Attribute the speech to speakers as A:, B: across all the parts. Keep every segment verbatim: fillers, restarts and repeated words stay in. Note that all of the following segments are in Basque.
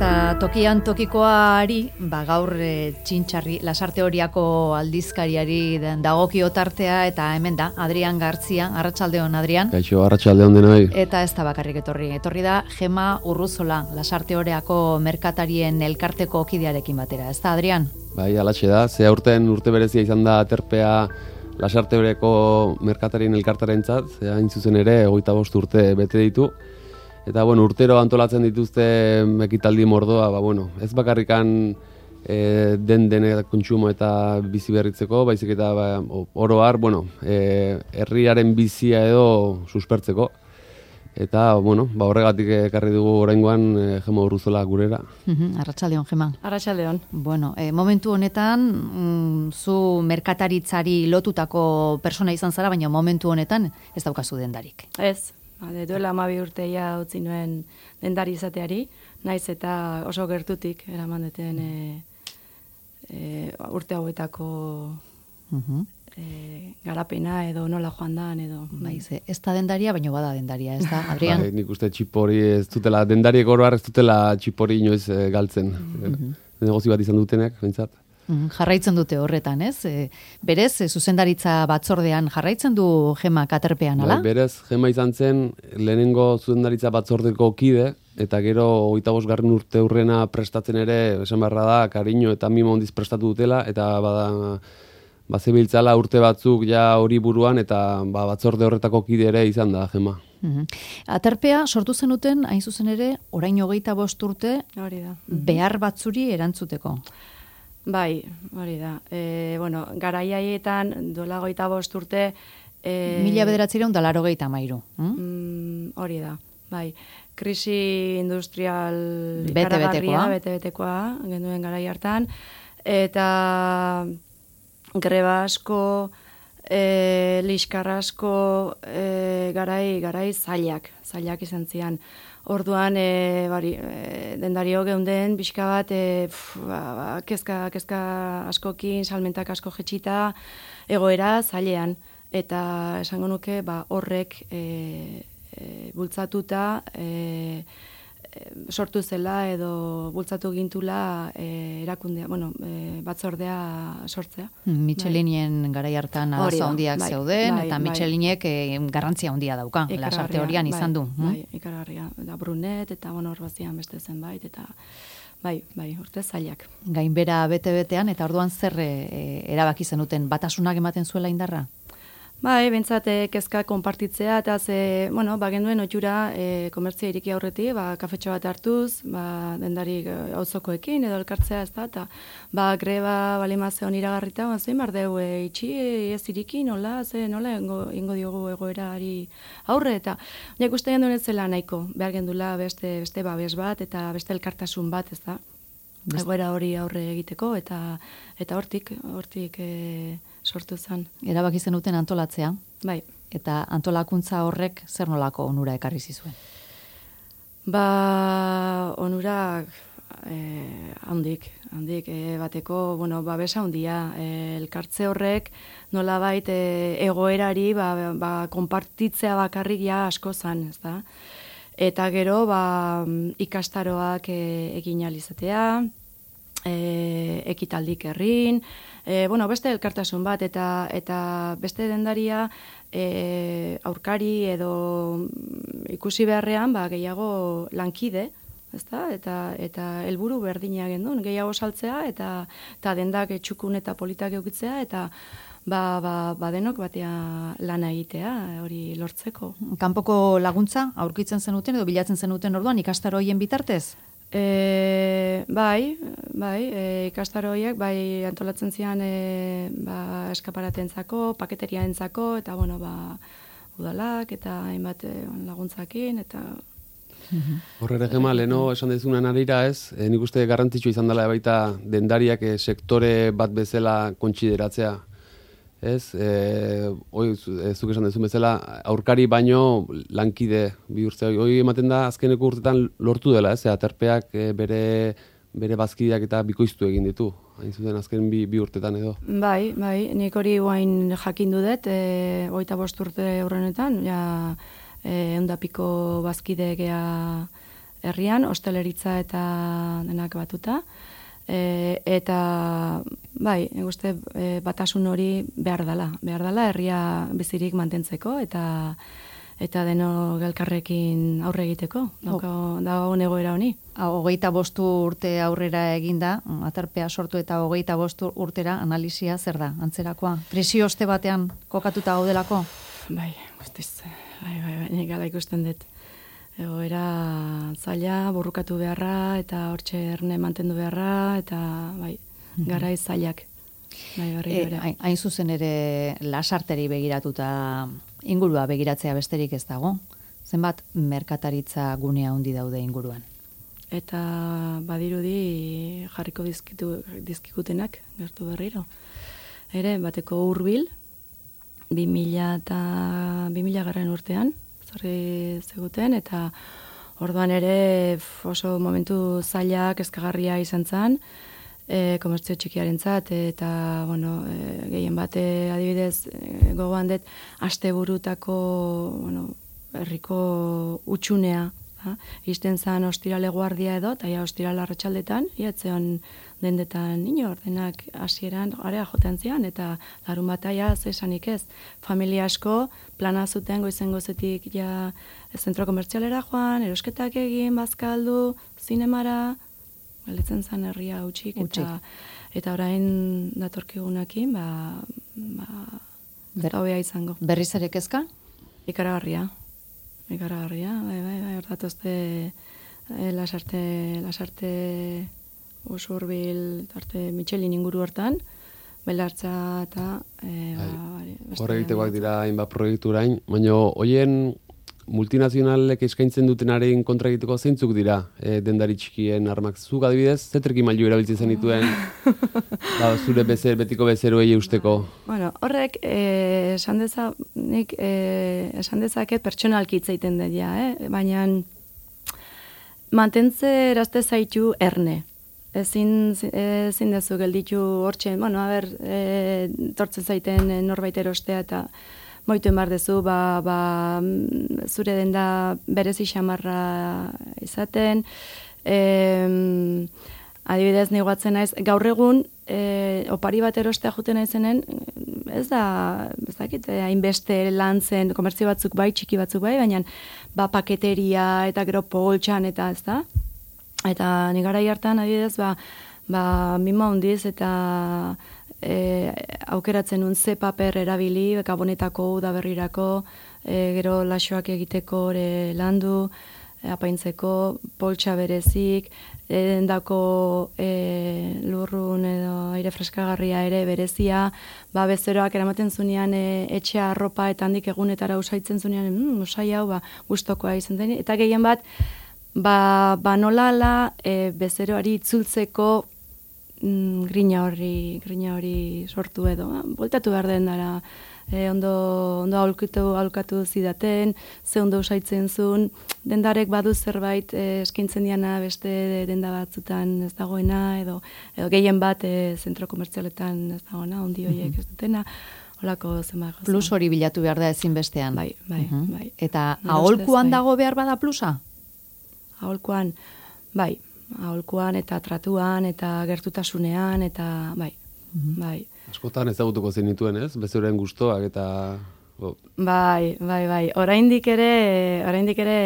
A: Eta tokian tokikoari, ba, gaur e, txintxarri, lasarte horiako aldizkariari dagokio tartea, eta hemen da, Adrian Gartzia, arratsaldeon Adrian.
B: Kaixo, arratsaldeon denoi.
A: Eta ez da bakarrik etorri, etorri da Gema Urruzola, lasarte horiako merkatarien elkarteko kidearekin batera, ez da Adrian?
B: Bai, alatxe da, ze aurten urte berezia izan da aterpea lasarte horiako merkatarien elkartarentzat, ze hain zuzen ere, hogeita bost urte bete ditu. Eta, bueno, urtero antolatzen dituzte ekitaldi mordoa, ba, bueno, ez bakarrikan e, den dene kontsumo eta bizi berritzeko, baizik eta ba, oro har, bueno, e, herriaren bizia edo suspertzeko. Eta, bueno, ba, horregatik ekarri dugu oraingoan e, Gema Urruzola gurera.
A: Uh-huh. Arratsaldeon, Gema.
C: Arratsaldeon.
A: Bueno, e, momentu honetan, mm, zu merkataritzari lotutako persona izan zara, baina momentu honetan ez daukazu dendarik.
C: Ez. De duela hamabi urteia utzi nuen dendari izateari, naiz eta oso gertutik eraman deten e, e, urte hauetako uh-huh. e, garapena edo nola joan dan edo.
A: Baiz, ez da dendaria, baina bada dendaria, ez da, Adrian?
B: Bai, nik uste txipori ez dutela, dendariek oro har ez dutela txipori inoiz e, galtzen. Uh-huh. Negozio bat izan dutenek, bentsat.
A: Jarraitzen dute horretan, ez? E, berez, e, zuzendaritza batzordean jarraitzen du Gema katerpean, ala?
B: Bai, berez, Gema izan zen lehenengo zuzendaritza batzordeko kide, eta gero hogeita bost garren urte hurrena prestatzen ere, esan beharra da, kariño eta mimo handiz prestatu dutela, eta bada, bazebiltzala urte batzuk ja hori buruan, eta ba, batzorde horretako kide ere izan da, Gema.
A: Uhum. Aterpea sortu zenuten, hain zuzen ere, orain hogeita bost urte,
C: hori da.
A: Behar batzuri erantzuteko.
C: Bai, hori da. E, bueno, garaiaietan dola goita bost urte... E,
A: Mila bederatzireun da laro geita mairu.
C: Mm, hori da, bai. Krisi industrial
A: bete-betekoa,
C: bete-betekoa, genduen garai hartan, eta greba asko, e, liskar asko, e, garai, garai zailak, zailak izan zian. Orduan, e, bari, e, dendario geunden, pixka bat, e, pf, ba, ba, kezka, kezka askokin, salmentak asko jetxita, egoera zailean. Eta esango nuke, ba, horrek e, e, bultzatuta, e, e, sortu zela edo bultzatu gintula e, erakundea, bueno, e, batzordea sortzea.
A: Michelinien bai. Garai hartan arazo handiak bai, zeuden, bai, eta bai. Michelinek e, garrantzia handia dauka, lasarte horian bai, izan du.
C: Bai, hm? Ikaragarria. Da Brunet eta bueno, hor bazian beste zenbait, eta bai, bai, urte zailak.
A: Gainbera bete-betean, eta orduan zer e, erabaki zenuten, batasunak ematen zuela indarra?
C: Bai, bentsat kezka konpartitzea, eta ze, bueno, ba, genduen otxura e, komertzia iriki aurreti, ba, kafetxo bat hartuz, ba, dendarik auzokoekin edo elkartzea ez da, eta ba, greba balimazio iragarrita, ba, zein bar deu, e, itxi, ez iriki, nola, ze, nola, ingo, ingo diogu egoerari aurre, eta nik uste genduen ez zela nahiko, behar gendula beste, beste babes bat, eta beste elkartasun bat, ez da, egoera hori aurre egiteko, eta eta hortik, hortik e, sortu zen.
A: Erabaki zenuten antolatzea.
C: Bai.
A: Eta antolakuntza horrek zer nolako onura ekarri zizuen?
C: Ba, onurak e, handik, handik e, bateko, bueno, babesa handia. E, elkartze horrek nolabait e, egoerari ba, ba, konpartitzea bakarrik ja asko zen, ez da? Eta gero, ba, ikastaroak e, egin alizatea, e, ekitaldik herrin, e, bueno, beste elkartasun bat, eta eta beste dendaria e, aurkari edo ikusi beharrean, ba, gehiago lankide, ezta? Eta eta helburu berdina gendun, gehiago saltzea, eta, eta dendak txukun eta politak eukitzea, eta Ba, ba, ba denok batea lana egitea, hori lortzeko.
A: Kanpoko laguntza aurkitzen zenuten edo bilatzen zenuten orduan ikastaro hoien bitartez?
C: E, bai, bai, e, ikastaro horiek bai antolatzen zian e, ba, eskaparatentzako, paketeriaentzako, eta bueno, ba, udalak eta hainbat e, laguntzakin, eta
B: Horre Gema, leheno esan dezunan arira ez, e, nik uste garrantzitsu izan dela baita dendariak e, sektore bat bezala kontsideratzea. Ez, e, oi, zuk esan dezun bezala, aurkari baino lankide bihurtzea. Hoi ematen da azkeneko urtetan lortu dela, ez, aterpeak e, bere, bere bazkideak eta bikoiztu egin ditu. Hain zuten azken bi, bi urtetan edo.
C: Bai, bai, nik hori guain jakindu dut, e, hogeita bost urte horrenetan, ja, e, eundapiko bazkide gea herrian, hosteleritza eta denak batuta, e, eta bai, uste e, batasun hori behar dela, behar dela herria bizirik mantentzeko, eta eta deno elkarrekin aurre egiteko, dauka dago egoera honi.
A: Hogeita bostu urte aurrera eginda, aterpea sortu eta hogeita bostu urtera analisia zer da, antzerakoa? Presio oste batean kokatuta gaudelako?
C: Bai, guztiz, bai, bai, bai, nik ala ikusten dut. Egoera zaila, burrukatu beharra, eta hortxe erne mantendu beharra, eta bai, garai zailak. Bai, barri
A: e, hain, hain zuzen ere lasarteri begiratuta ingurua begiratzea besterik ez dago. Zenbat merkataritza gunea handi daude inguruan?
C: Eta badirudi jarriko dizkitu, dizkikutenak gertu berriro. Ere, bateko hurbil, bi mila eta bi mila garren urtean, zorri zeguten, eta orduan ere oso momentu zailak eskagarria izan zen, e, komertzio txikiarentzat, eta bueno, e, gehien bate adibidez e, gogoan dut asteburutako bueno, herriko utxunea, ha? Isten zan ostirale guardia edo, eta ja ostirale arratsaldetan, iatzeon dendetan inor, denak hasieran area joten zian, eta larun bataia zesanik ez. Familia asko plana zuten goizen gozetik ja zentro komertzialera joan, erosketak egin, bazkaldu, zinemara, gelditzen zan herria utxik, eta, eta orain datorkigunakin, ba, ba, Ber, hobea izango.
A: Berriz ere kezka?
C: Ikaragarria. Ikaragarria, bai, bai, bai, hortatozte e, lasarte, lasarte Usurbil, arte Michelin inguru hortan, belartza eta e, ba,
B: hor egitekoak dira hainbat proiekturain, baina hoien multinazionalek eskaintzen dutenaren kontra egiteko zeintzuk dira e, dendari txikien armak. Zuk adibidez, zetreki mailu erabiltzen zenituen ba, zure bezer, betiko bezeroei eusteko?
C: Bueno, horrek eh, esan deza, nik eh, esan dezaket pertsonalki hitz egiten dut ja, eh? Baina mantentze erazte zaitu erne. Ezin, ezin dezu gelditu hortxe, bueno, a ber, e, tortzen zaiten norbait erostea eta moituen bar dezu, ba, ba, zure denda berezi xamarra izaten. E, adibidez, negoatzen naiz, gaur egun, e, opari bat erostea juten naizenen, ez da, ez dakit, hainbeste lan zen, komertzio batzuk bai, txiki batzuk bai, baina ba, paketeria eta gero poltsan eta ez da. Eta nigarai hartan, adibidez, ba, ba, mima hundiz eta e, aukeratzen nun ze paper erabili, gabonetako, udaberrirako, e, gero laxoak egiteko ere landu, e, apaintzeko, poltsa berezik, endako e, lurrun edo aire freskagarria ere berezia, ba, bezeroak eramaten zunean e, etxea arropa eta handik egunetara usaitzen zunean, mm, usai hau, ba, gustokoa izan zen, eta gehien bat, Ba, ba nolala e, bezeroari itzultzeko mm, grina horri grina hori sortu edo, ba, voltatu behar den dara, e, ondo, ondo aulkatu, aulkatu zidaten, ze ondo usaitzen zuen, dendarek badu zerbait e, eskintzen diana beste denda batzutan ez dagoena, edo, edo gehien bat e, zentro komertzialetan ez dagoena, ondi horiek ez dutena, holako zenbat gauza.
A: Plus hori bilatu behar da ezinbestean.
C: Bai, bai,
A: uh-huh.
C: bai.
A: Eta aholkuan dago behar bada plusa?
C: Aholkuan, bai, aholkuan eta tratuan eta gertutasunean eta bai, mm-hmm. bai.
B: Askotan ezagutuko zenituen, ez? Bezeroen gustoak eta oh.
C: Bai, bai, bai. Oraindik ere, oraindik ere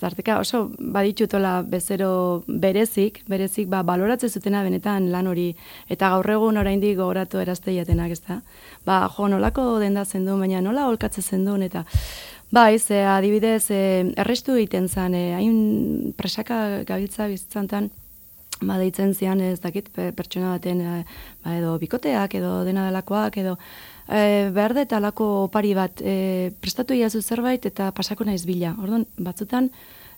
C: tarteka oso baditutola bezero berezik, berezik ba baloratzen zutena benetan lan hori eta gaur egun oraindik gogoratu erazte jatenak, ezta? Ba, jo, nolako denda zendu, baina nola aholkatzen zendun eta bai, ze adibidez, e, errestu egiten zen, e, hain presaka gabiltza bizitzantan, ba, deitzen zian, ez dakit, pertsona baten, e, ba, edo bikoteak, edo dena delakoak, edo e, behar da eta alako opari bat, e, prestatu iazu zerbait eta pasako naiz bila. Orduan, batzutan,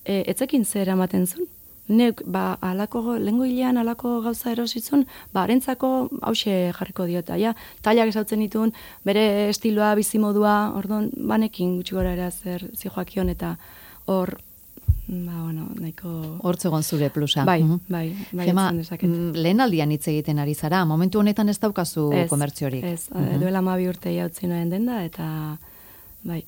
C: e, etzekin zer ematen zuen. Neuk, ba, alako, lehengo hilean alako gauza erositzun, ba, harentzako hause jarriko diota, ja, tailak esautzen ditun, bere estiloa, bizimodua, orduan, banekin gutxi gora era zer zijoakion, eta hor, ba, bueno, nahiko...
A: Hortzegon zure plusa.
C: Bai,
A: uh-huh.
C: bai, bai,
A: Gema, lehen aldian hitz egiten ari zara, momentu honetan ez daukazu
C: ez,
A: komertziorik.
C: Ez, uh-huh. duela mabi urte jautzi noen denda, eta... Bai.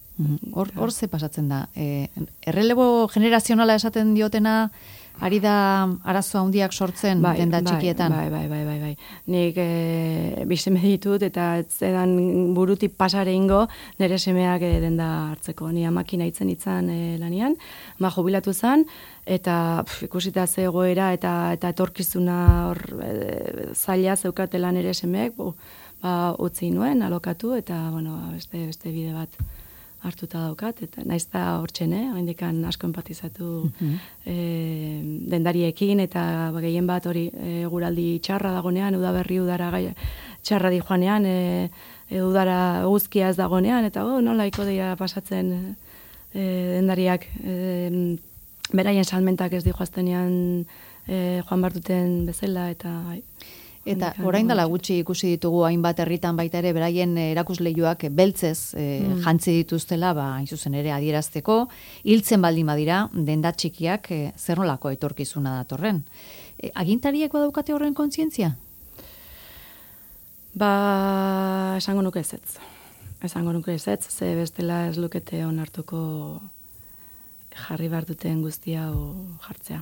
A: Hor, hor ze pasatzen da. E, errelebo generazionala esaten diotena, ari da arazo handiak sortzen
C: bai,
A: denda
C: bai,
A: txikietan.
C: Bai, bai, bai, bai, bai. Nik e, bizeme ditut eta ez edan burutik pasare ingo nire semeak e, denda hartzeko. Ni amakina itzen itzan e, lanian, ma jubilatu zen, eta pf, ikusita ze egoera eta, eta etorkizuna hor e, zaila zeukatela nire semeek, bu, ba, utzi nuen, alokatu, eta bueno, beste, beste bide bat hartuta daukat, eta naiz da hortxen, eh? Oindikan asko empatizatu mm-hmm. e, dendariekin, eta gehien bat hori e, guraldi txarra dagonean, udaberri udara gai, txarra di joanean, e, e, udara guzkia ez dagonean, eta oh, nola iko dira pasatzen e, dendariak e, beraien salmentak ez di joaztenean e, joan bartuten bezala, eta...
A: Eta orain dela gutxi ikusi ditugu hainbat herritan baita ere beraien erakusleihoak beltzez e, mm. jantzi dituztela, ba, hain zuzen ere adierazteko, hiltzen baldin badira, denda txikiak e, zer nolako etorkizuna datorren. E, agintariek badaukate horren kontzientzia?
C: Ba, esango nuke ezetz. Esango nuke ezetz, ze bestela ez lukete onartuko jarri behar duten guztia o jartzea.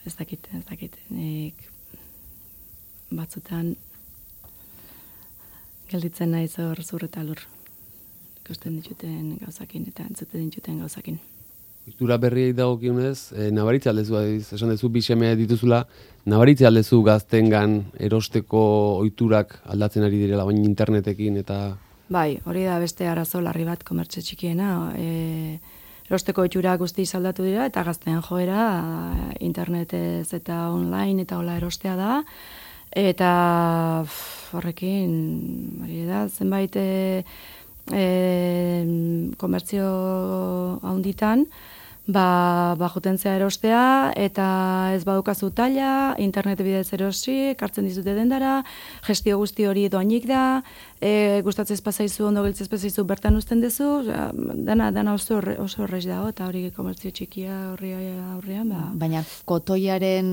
C: Ez dakit, ez dakit. Nik batzutan gelditzen naiz hor zur eta lur. Ikusten dituten gauzakin eta entzuten dituten gauzakin.
B: Ohitura berriei dagokionez, e, nabaritze aldezu, esan dezu bi seme dituzula, nabaritze aldezu gaztengan erosteko ohiturak aldatzen ari direla, baina internetekin eta...
C: Bai, hori da beste arazo larri bat komertze txikiena. E, erosteko ohiturak guzti aldatu dira eta gaztean joera internetez eta online eta hola erostea da. Eta horrekin, hori da, zenbait e, e, komertzio haunditan, ba, ba jutentzea erostea, eta ez badukazu taila, internet bidez erosi, kartzen dizute dendara, gestio guzti hori doainik da, e, gustatzen espazaizu, ondo giltzen espazaizu bertan uzten dezu, dana, dana oso, oso horreiz dago, eta hori komertzio txikia horri aurrean. Ba.
A: Baina kotoiaren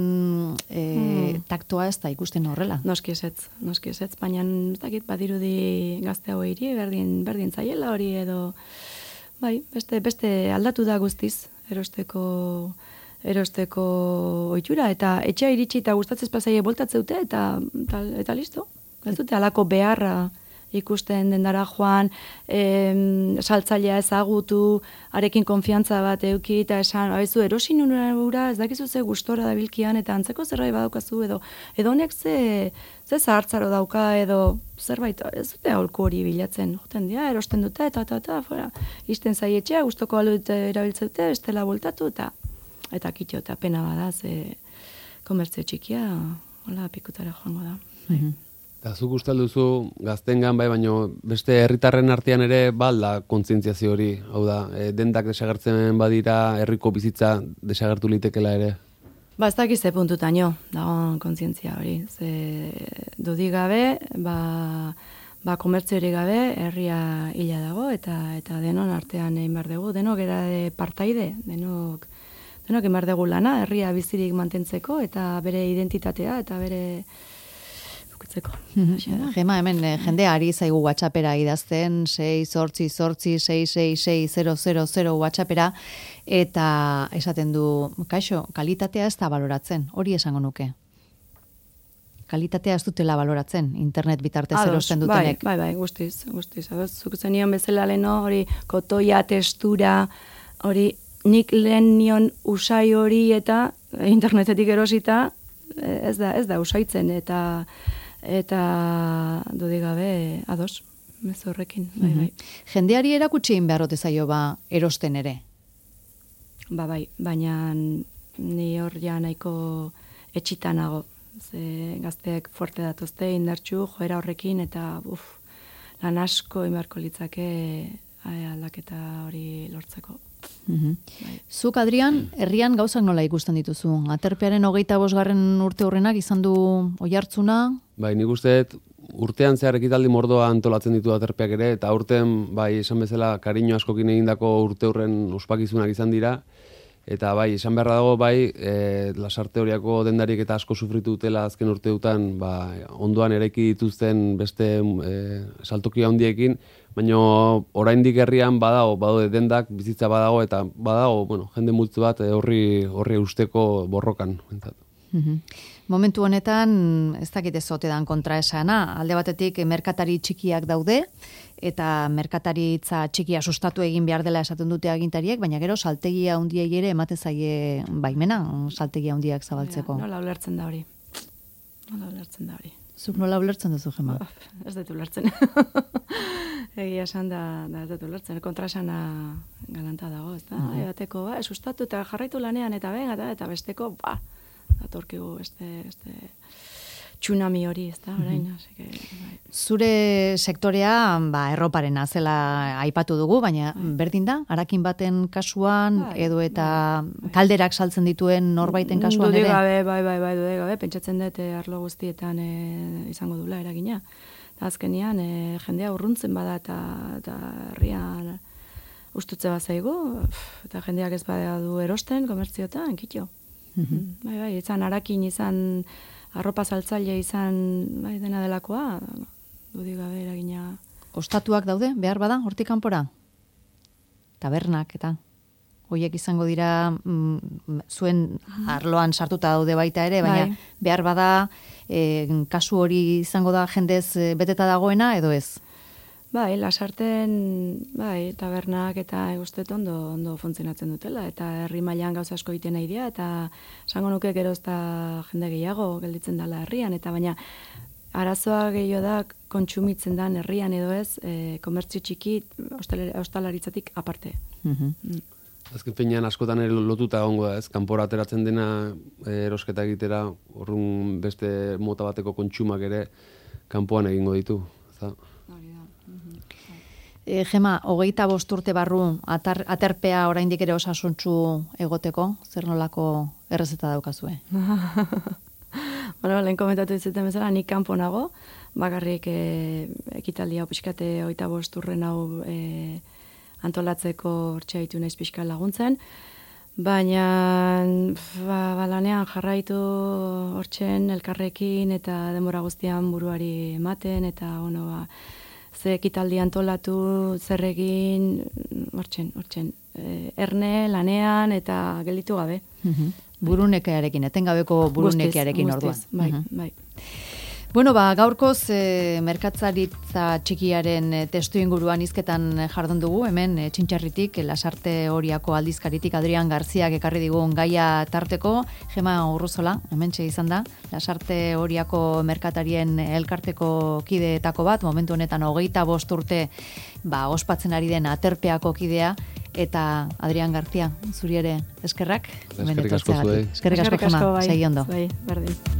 A: e, hmm. taktoa ez da ikusten horrela?
C: Noski ezetz, noski ezetz, baina ez dakit badirudi gazte hau hiri, berdin, berdin zaiela hori edo, bai, beste, beste aldatu da guztiz. erosteko erosteko ohitura eta etxea iritsi eta gustatzen pasaie boltatzeute eta, eta eta listo. Ez dute halako beharra ikusten dendara joan, em, saltzailea ezagutu, arekin konfiantza bat eduki eta esan, haizu erosin ura, ez dakizu ze gustora dabilkian eta antzeko zerbait badaukazu edo edo honek ze ze zahartzaro dauka edo zerbait ez dute aholku hori bilatzen. Joten dira, erosten dute eta eta eta fuera. Isten zaietxea gustoko alut erabiltzeute, bestela voltatu eta eta kitxo eta pena bada ze komertzio txikia hola pikutara joango da.
A: Mm-hmm.
B: Eta zuk uste duzu gaztengan bai, baino beste herritarren artean ere balda kontzientziazio hori, hau da, e, dendak desagertzen badira, herriko bizitza desagertu litekela ere?
C: Ba, ez dakiz ze puntutaino, dagoen kontzientzia hori. Ze dudik gabe, ba, ba komertziorik gabe, herria hila dago, eta eta denon artean egin behar dugu, denok era de partaide, denok, denok egin behar dugu lana, herria bizirik mantentzeko, eta bere identitatea, eta bere...
A: Gema, hemen jendea ari zaigu WhatsAppera idazten, sei zortzi zortzi sei sei sei zero zero zero WhatsAppera, eta esaten du, kaixo, kalitatea ez da baloratzen, hori esango nuke. Kalitatea ez dutela baloratzen, internet bitartez erosten dutenek.
C: Bai, bai, bai, guztiz, guztiz. Zuk zenion bezala leno, hori kotoia, testura, hori nik lehen nion usai hori eta internetetik erosita, ez da, ez da usaitzen, eta eta dudik gabe ados, mez horrekin. Bai, bai.
A: Jendeari erakutsi egin beharrote zaio ba erosten ere?
C: Ba, bai, baina ni hor ja nahiko etxitanago. Ze gazteek fuerte datozte, indartxu, joera horrekin, eta uf, lan asko inbarko litzake aldaketa hori lortzeko.
A: Mm-hmm. Bai. Zuk, Adrian, herrian gauzak nola ikusten dituzu? Aterpearen hogeita bosgarren urte horrenak izan du oihartzuna?
B: Bai, nik uste urtean zehar ekitaldi mordoa antolatzen ditu aterpeak ere, eta urten, bai, esan bezala, kariño askokin egindako urte horren ospakizunak izan dira, eta bai, esan beharra dago, bai, e, lasarte horiako dendarik eta asko sufritu dutela azken urteutan, ba, ondoan eraiki dituzten beste e, saltoki handiekin, baina oraindik herrian badago, badaude dendak, bizitza badago, eta badago, bueno, jende multzo bat horri horri usteko borrokan.
A: Mm-hmm. Momentu honetan, ez dakit ez ote dan kontraesana, alde batetik merkatari txikiak daude, eta merkataritza txikia sustatu egin behar dela esaten dute agintariek, baina gero saltegia handiei ere emate zaie baimena, saltegia handiak zabaltzeko.
C: Ja, nola ulertzen da hori. Nola ulertzen da hori.
A: Zuk nola ulertzen duzu, Gema?
C: Ez dut ulertzen. Egia esan da, da ez dut ulertzen. Kontrasana galanta dago, ez da? Uh-huh. Ebateko, ba, sustatu eta jarraitu lanean, eta ben, eta, eta besteko, ba, datorkigu beste, beste tsunami hori, ez da, orain. Mm-hmm.
A: Zure sektorea, ba, erroparena zela aipatu dugu, baina bai. Berdin da, harakin baten kasuan, bai, edo eta bai. Kalderak saltzen dituen norbaiten kasuan ere?
C: Gabe, bai, bai, bai, dude gabe, pentsatzen dut arlo guztietan e, izango dula eragina. Azkenian, e, jendea urruntzen bada eta, eta herrian ustutze bat zaigu, eta jendeak ez bada du erosten, komertziotan, kitxo. Mm-hmm. Bai, bai, izan harakin, izan arropa saltzaile, izan bai, dena delakoa, dudik gabe eragina.
A: Ostatuak daude, behar bada, hortik kanpora? Tabernak, eta hoiek izango dira mm, zuen arloan sartuta daude baita ere, baina bai. Behar bada, e, kasu hori izango da jendez beteta dagoena, edo ez?
C: Bai, lasarten, bai, tabernak eta egustet ondo, ondo funtzionatzen dutela, eta herri mailan gauza asko egiten nahi dira, eta esango nuke gero ez da jende gehiago gelditzen dela herrian, eta baina arazoa gehiago da kontsumitzen dan herrian edo ez, e, komertzio txiki ostalaritzatik aparte.
A: Mm-hmm.
C: Mm.
B: Azken finean askotan ere lotuta egongo da, ez? Kanpora ateratzen dena erosketa egitera, horrun beste mota bateko kontsumak ere kanpoan egingo ditu. Za?
A: E, Gema, hogeita bost urte barru atar, aterpea oraindik ere osasuntsu egoteko, zer nolako errezeta daukazue?
C: Bueno, lehen komentatu dizueten bezala, nik kanpo nago, bakarrik e, ekitaldia pixkate hogeita bost urren hau e, antolatzeko hortxe haitu naiz pixka laguntzen, baina ba, ba, lanean jarraitu hortxen elkarrekin eta denbora guztian buruari ematen, eta ono, ba, ze ekitaldi antolatu, zer egin, hortzen, hortzen, e, erne, lanean, eta gelditu gabe.
A: Mm-hmm. Burunekearekin, etengabeko burunekearekin orduan.
C: Bai,
A: mm-hmm.
C: bai.
A: Bueno, ba, gaurkoz e, merkatzaritza txikiaren e, testu inguruan hizketan jardun dugu, hemen e, Txintxarritik, Lasarte Oriako aldizkaritik Adrian Garziak ekarri digun gaia tarteko, Gema Urruzola, hementxe izan da, Lasarte Oriako merkatarien elkarteko kideetako bat, momentu honetan hogeita bost urte ba, ospatzen ari den aterpeako kidea, eta Adrian Garzia, zuri ere eskerrak.
B: Eskerrik asko zuei.
A: Eskerrik asko, Gema, segi ondo.
C: Bai, berdin.